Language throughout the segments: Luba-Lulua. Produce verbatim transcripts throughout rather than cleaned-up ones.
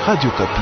Radio Okapi.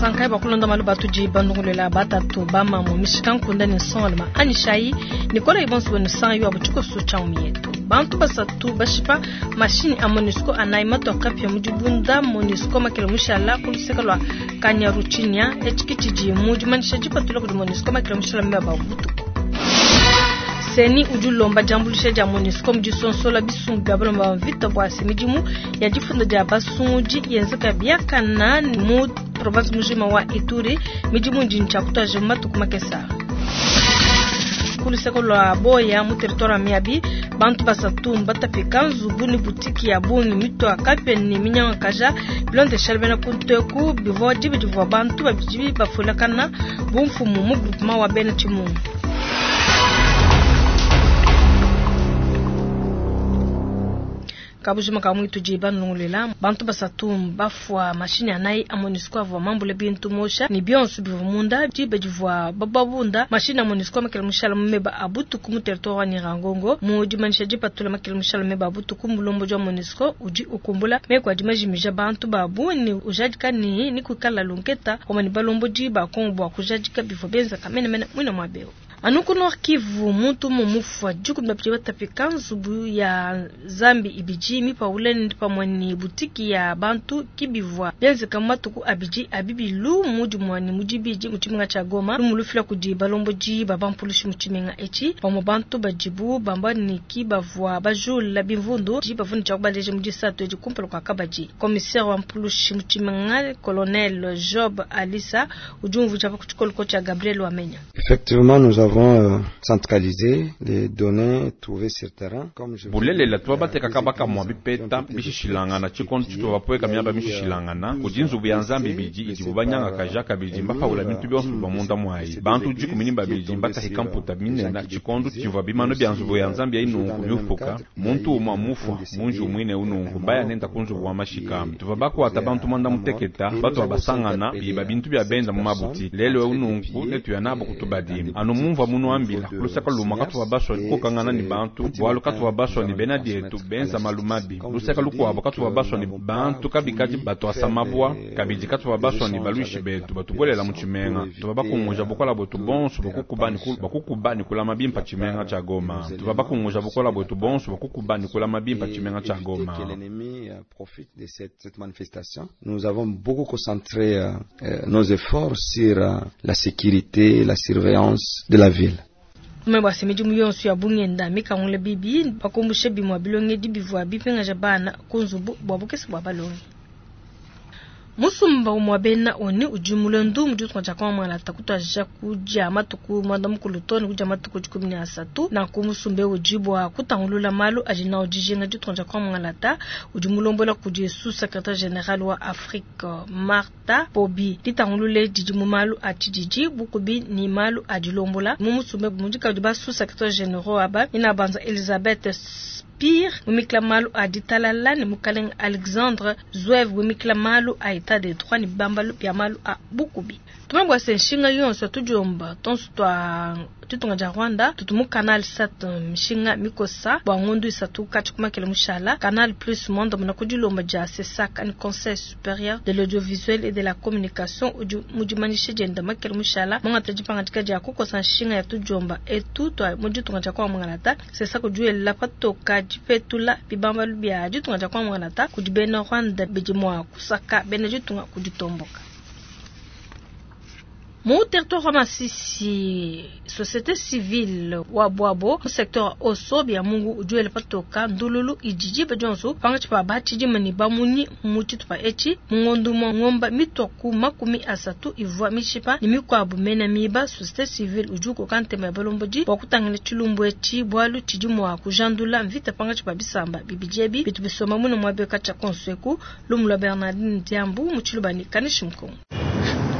Sankai bakulonda malu batudi bandungulela batatu bamamu mishika nkunda ne nsongaluma anyishayi nikola ibonso benu sanyu abu tshikoso tshia mietu bantu basatu bashipa mashini a MONUSCO anayi matoka pia mudibunda MONUSCO makele mushala kuluseka lwa Kanyaruchinya etshiki tshidi mu dimanyisha dipatula kudi MONUSCO makele mushala mmeba butuku. Seni udi ulomba diambuluisha dia MONUSCO mu disonsola bisumbu bia balomba mvita bua se midimu ya difunda dia basungudi yenzeka biakana mu province mujima wa Ituri midimu ndi ntshiakutwaje matuku makesa. Kuluseko lwa Boya mu territoire wa Miabi bantu basatu mbatapika nzubu ni butiki ya bungi mitwa kapia ni minyangakaja bilondesha bena kunteku bivua dibi divua bantu babidi bafulakana bumfumu mu groupement wa bena Tshimungu. Kabujima ka mwitu jiba nungulela bantu basatu bafwa mashini anayi a MONUSCO avua mambule bintu mosha ni bionso bivua munda diba divua bababunda mashini a MONUSCO makele mushala mumeba abutuku mu territoire wa Nyiragongo mu dimanyisha dipatula makele mushala meba abutuku mulombo jwa MONUSCO udi ukumbula meko adi majimija bantu babu ni ujadika ni ni kukala lunketa omani balombo diba Kongo bua kujadika bivua benza kamene mene mwina mwabeo. Anuku Nord Kivu muntu mumufwa dikumi babidi batapika nzubu ya Zambi ibidi mipaule pamwe ni butiki ya bantu kibivwa byenzeka matuku abidi abibilu mudi mwani mudibidi mu tshimenga tshia Goma lumulufila kudi balomboji babampulushi mu tshimenga etshi pamwe bantu badibu bamba ni kibavwa bajula bimvundu di bavuni tshia kubaleje mu disatu edi kumpala kwa kabadi. Commissaire wa mpulushi mu tshimenga colonel Job Alisa udi umvuja pa kutshikoloko tshia Gabriel Wamenya. Effectivement, nous avons centralisé les données trouvées sur terrain. Bulelela tuba bateka kabaka mwa bipeta bishishilangana tshikondo tshituba bapoeka miaba mishishilangana kudi nzubu ya Nzambi bidi idibu banyangakaja kabidi mbapaula bintu bionso bivua munda mwayi bantu dikumi ni babidi mbatahika mputa minena tshikondo tshivua bimano bya nzubu ya Nzambi ya inungu miufuka muntu umwa mufwa munji umwine unungu baya nenda ku nzubu wa mashika tuva bakwata bantu mwanda muteketa batu babasangana biba bintu bya benda mu mabuti lelo unungu netuya nabo kutubadi anu mumva munu ambila lusaka luma katuwa baswa kokangana ni bantu bwalu katuwa baswa ni bena dietu benza malumabi lusaka lukwabo katuwa baswa ni bantu kabikadi batu asamabwa kabidi katuwa baswa ni baluishi betu batubwelela mu tshimenga tuba bakunguja bukola bwetu bonso bakukuba ni bakukuba ni kulama bimpa tshimenga tshia Goma tuba bakunguja bukola bwetu bonso bakukuba ni kulama bimpa tshimenga tshia Goma. Que l'ennemi profite de cette, cette manifestation. Nous avons beaucoup concentré euh, nos efforts sur euh, la sécurité, la surveillance de la ville. Mwe midimu yonso ya bungenda mikangule bibi bakumbushe bimwa bilongedi bivua bipingaja bana kunzubu bwa bukese bwa balongi. Musumba umwa bena oni ujumule ndu mjutu kwa kwa mwana takutwa kuja matuku mwanda mukulu toni kuja matuku dikumi na asatu na kumusumbe ujibwa kutangulula malu ajina ujijinga jutu kwa mwana ta ujumulombola kudi sous secrétaire général wa Afrique Martha Pobi ditangulule didimu malu atididi bukubi ni malu adilombola mumusumbe mujika udiba sous secrétaire général aba inabanza Elizabeth Pire mumikla malu aditalala ni mukaleng Alexandre Zouev mumikla malu a état de droit ni bambalu bya malu a bukubi. Tumabwa se nshinga yonso tujomba tonso twa tutunga ja Rwanda tutumu Canal sept nshinga mikosa bwa ngondu isatu kati kumakele mushala Canal Plus Monde muna kudilomba ja CSAC ni Conseil supérieur de l'audiovisuel et de la communication mudimanishe jenda makele mushala mwangata jipangatika ja kukosa nshinga ya tujomba etu twa muditunga ja kwa mwangalata CSAC ujuela patoka jipetula bibambalu bya jitunga ja kwa mwangalata kudibena Rwanda bidimwa kusaka bena jitunga kuditomboka. Mu territoire wa Masisi, société civile wa Bwabo, mu secteur Oso bya Mungu ujuele patoka ndululu ijiji bajonso panga chipa bachi jimani bamunyi mu tshitupa etshi mungondu mwa ngomba mitwaku makumi asatu ivua mishipa ni mikwabu mena miba société civile ujuko kantema ya balomboji bwa kutangila tshilumbu etshi bwalu tshidi mwa kujandula mvita panga chipa bisamba bibijebi bitu bisoma muno mwa beka tshia konsweku lumula Bernardine Diambu mu tshilubani kanishi mkongo.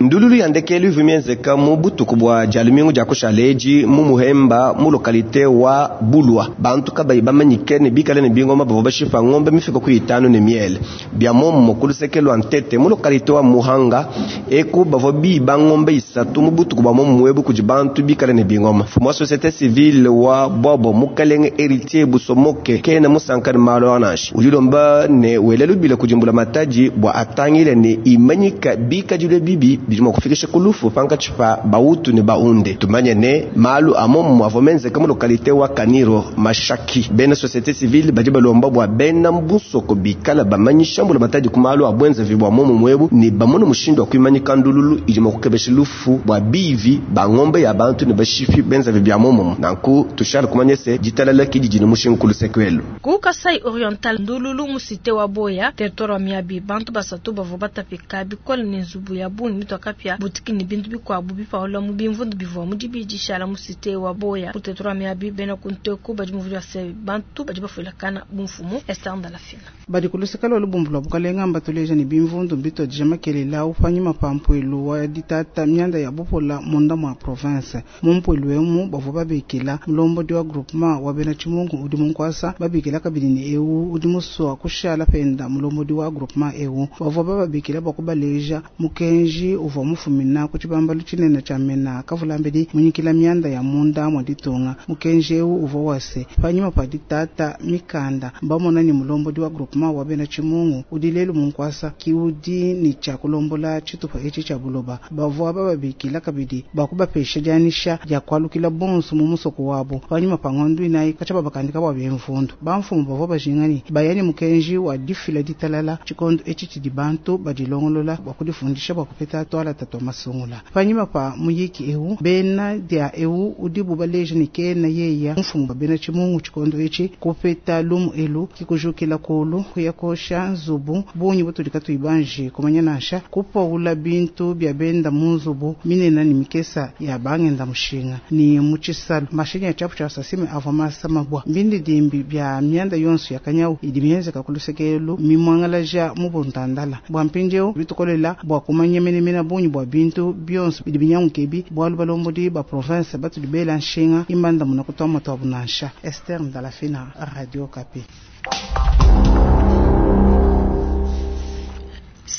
Ndululu ya ndekelu ivua mienzeka mu butuku bua dia lumingu dia kushala edi mu Muhemba mu localité wa Bulwa. Bantu kabayi bamanyike ne bikale ne bingoma bavua bashipa ngombe mifika ku itanu ne miele. Bia mommo ku luseke lua Ntete mu localité wa Muhanga eku bavua biba ngombe isatu mu butuku bua mommo ebu kudi bantu bikale ne bingoma. Mfumu wa société civile wa Bobo Mukalenge Héritier Busomoke kena musanka ne malu anashi. Udi ulomba ne wele lubila kudimbula matadi bua atangile ne imanyika bikadilwe bibi bidi mua kufikisha ku lufu pankatshi pa bautu ne baunde. Tumanye ne malu a mommo avua menzeka mu localité wa Kaniro Mashaki. Bena société civile badi balomba bua bena mbusoko bikala bamanyisha mbula matadi ku malu a bwenzavi bua mommo mwebu ne bamone mushindu wa kuimanyika ndululu idi mua kukebesha lufu bua bivi ba ngombe ya bantu ne bashifi benzavi bia mommo. Nanku tushala kumanya se ditalala kidi dina mushinga ku lusekwelu. Ku Kasai Oriental ndululu mu cité wa Boya territoire wa Miabi bantu basatu bavua batapika bikole ne nzubu ya bungi mitwakapia butiki ne bintu bikuabu bipaula mu bimvundu bivua mu dibidi shala mu cité wa Boya ku territoire wa Miabi bena kunteku badi muvua se bantu badi bafuilakana bumfumu Esther Ndalafina. Badi ku luseke lwa lubumbu lwa bukalenga mbatuleja ne bimvundu mbitwadija makelela upanyima pa mpwelu wa ditata mianda ya bupola munda mwa province. Mu mpwelu emu bavua babikila mulombodi wa groupement wa bena Chimungu udi munkwasa babikila kabidi ne eu udi musua kushala penda mulombodi wa groupement eu bavua bababikila bua kubaleja mukenji uvua mufumina ku tshibambalu tshinene tshia mena kavulambedi munyikila mianda ya munda mwa ditunga. Mukenji eu uvua wase panyima pa ditata mikanda mbamona ni mulombodi wa groupement wa bena Chimungu udi lelu munkwasa ki udi ni tshia kulombola tshitupa etshi tshia buloba. Bavua bababikila kabidi bua kubapesha dianyisha dia kualukila bonso mu musoko wabo panyima pa ngondu inayi katshia babakandika bua bemvundu. Bamfumu bavua bajingani bayani mukenji wa difila ditalala tshikondo etshi tshidi bantu badilongolola bua kudifundisha bua kupeta twala tatu masungula. Panyima pa muyiki eu bena dia eu udi bubaleja ni kena yeya mfumu ba bena Chimungu tshikondo etshi kupeta lumu elu kikujukila kulu kuyakosha nzubu bunyi butudi katuibanji kumanya nansha kupaula bintu bya benda mu nzubu minena ni mikesa ya bangenda mushinga ni muchisalu mashinyi ya chapu cha sasime avwa masa mabwa mbindi dimbi bya myanda yonso ya kanyau idi mienzeka kulusekelu mimwangalaja mu buntandala bwa mpinjeo bitukolela bwa kumanya menemena bunyi bwa bintu byonso bidi binyangukebi bwalu balombodi ba province batudi bela nshinga imbanda muna kutwama twa bunansha. Esther Ndalafina, Radio Kapi.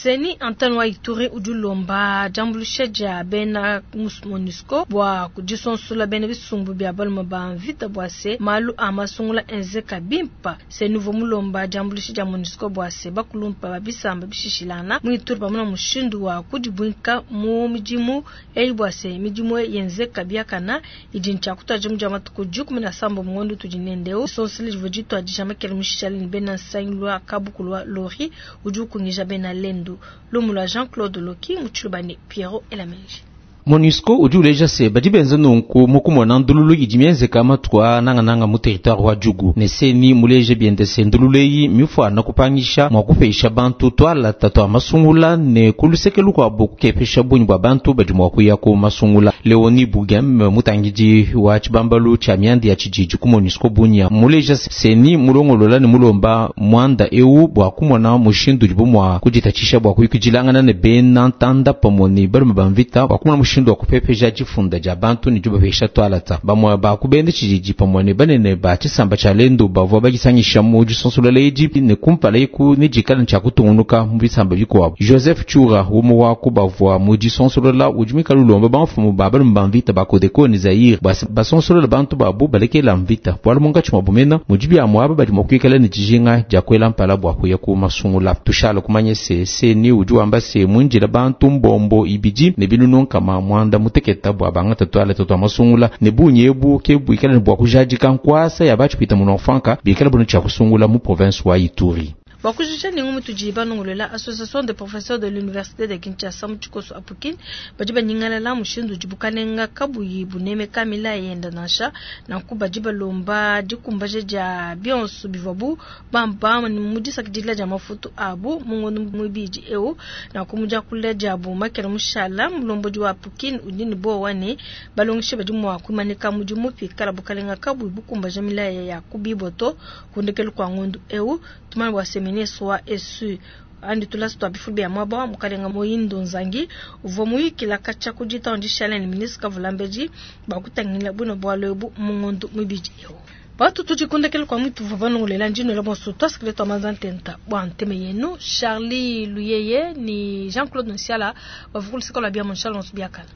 Seni Antoine wa Ituri udi ulomba diambuluisha dia bena MONUSCO bua kudisonsola bena bisumbu bia balume ba mvita bua se malu a masungula enzeka bimpa. Seni uvua mulomba diambuluisha dia MONUSCO bua se bakulumpa ba bisamba bishishilana mu Ituri pamona mushindu wa kudibuinka mu midimu eyi bua se midimu yenzeka biakana idi ntshia mu matuku dikumi na sambo mu ngondo tudi nendeo. Sonsele divua dituadija makele mushishale ne bena nsangilu wa kabukulu wa lori udi ukungija bena lendo. Lumula Jean-Claude Loki mutshilubane Pierrot Elamenji. MONUSCO udi uleja se badi benza nunku mukumona ndululu idi mienzeka matuku a nangananga mu territoire wa Djugu ne seni muleje biende se ndululu eyi mifuana kupangisha mua kupesha bantu twala tatu a masungula ne kulusekelu kuabu kukepesha bungi bua bantu badi mua kuya ku masungula. Leonie Bugem mutangidi wa tshibambalu tshia mianda ya tshididi ku MONUSCO bunya muleja seni mulongolola ne mulomba muanda eu bua kumona mushindu udibu mua kuditatshisha bua kuyukidilangana ne bena ntanda pamue ne balume ba mvita bua kumona mushindu wa kupepeja difunda dia bantu ne dibapesha twalata. Bamue bakubenda tshididi pamue ne banene ba tshisamba tshia lendo bavua badisangisha mu disonsola edi ne kumpala eku ne dikala tshia kutungunuka mu bisamba bikuabu. Joseph Tshoura umue wa ku bavua mu disonsolola udi muikale ulomba bamfumu ba balume ba mvita ba Codeco ne Zaire basonsolola bantu babu balekela mvita bualu munkatshi mua bumena mudi biamu aba badi mua kuikala ne dijinga dia kuela mpala bua kuya ku masungula. Tushala kumanya se seni udi wamba se muinjila bantu mbombo ibidi ne binunu nkama mwanda muteketa bua bangata twala tatu masungula ne bunyi ebu ke buikala ne bua kujadika nkwasa ya batshipita mu Nord-Franka bikala bunu tshia kusungula mu province wa Ituri. Bakujisha ni ngumu tujiba nongolela association des professeurs de l'université de Kinshasa mu tshikoso apukin badi banyingalala mushindu udi bukalenga kabuyi buneme kamila yenda nansha nanku badi balomba dikumbaja dia bionso bivuabu bamba mu disakidila dia mafutu abu mu ngondo muibidi eu nanku mu diakula diabu makele mushala mulombodi wa apukin udi ne bowa ne balongesha badi mua kuimanika mudimu pikala bukalenga kabuyi bukumbaja milaya ya kubiboto kundekelu kua ngondo eu tumana bua ministre wa esu Andi tulasa tua bifulu bia muaba wa mukalenga Muhindo Nzangi uvua muyikila katshia ku ditanu dishale ne ministre Kavulambedi bua kutangila buine bualu ebu mu ngondo mibidi eu. Batu tudi kundekela kwa mwitu vava ndino la bonso twasikile twa manza ntenta bwa nteme yenu Charlie Luyeye ni Jean-Claude Nsiala bavukulisika la bia mon Charles biakala.